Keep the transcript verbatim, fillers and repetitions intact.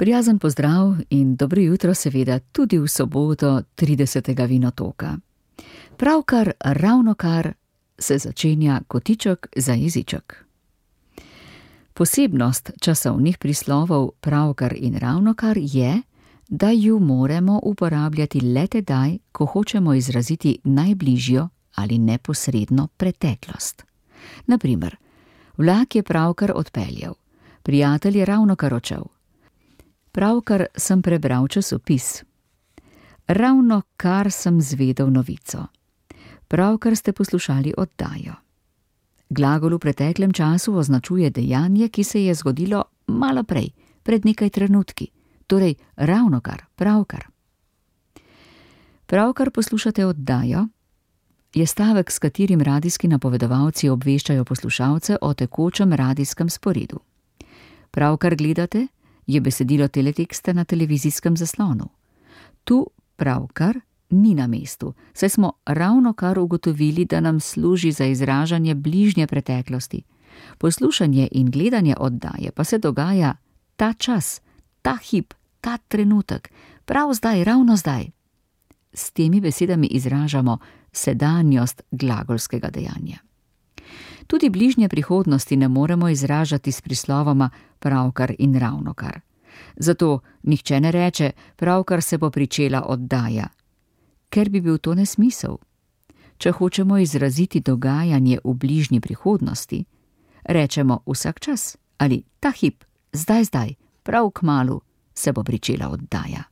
Prijazen pozdrav in dobro jutro seveda tudi v soboto tridesetega vinotoka. Pravkar ravnokar se začenja kotiček za jeziček. Posebnost časovnih prislovov pravkar in ravnokar je, da ju moramo uporabljati le tedaj, ko hočemo izraziti najbližjo ali neposredno preteklost. Na primer, vlak je pravkar odpeljal, prijatelj je ravnokar odšel. Pravkar sem prebral časopis. Ravnokar sem zvedel novico. Pravkar ste poslušali oddajo. Glagol v preteklem času označuje dejanje, ki se je zgodilo malo prej, pred nekaj trenutki, torej ravnokar, pravkar. Pravkar poslušate oddajo je stavek, s katerim radijski napovedovalci obveščajo poslušalce o tekočem radijskem sporedu. Pravkar gledate je besedilo teleteksta na televizijskem zaslonu. Tu pravkar ni na mestu, saj smo ravnokar ugotovili, da nam služi za izražanje bližnje preteklosti. Poslušanje in gledanje oddaje pa se dogaja ta čas, ta hip, ta trenutek, prav zdaj, ravno zdaj. S temi besedami izražamo sedanjost glagolskega dejanja. Tudi bližnje prihodnosti ne moremo izražati s prislovoma pravkar in ravnokar. Zato nihče ne reče, pravkar se bo pričela oddaja, ker bi bil to nesmisel. Če hočemo izraziti dogajanje v bližnji prihodnosti, rečemo vsak čas ali ta hip, zdaj zdaj, prav kmalu se bo pričela oddaja.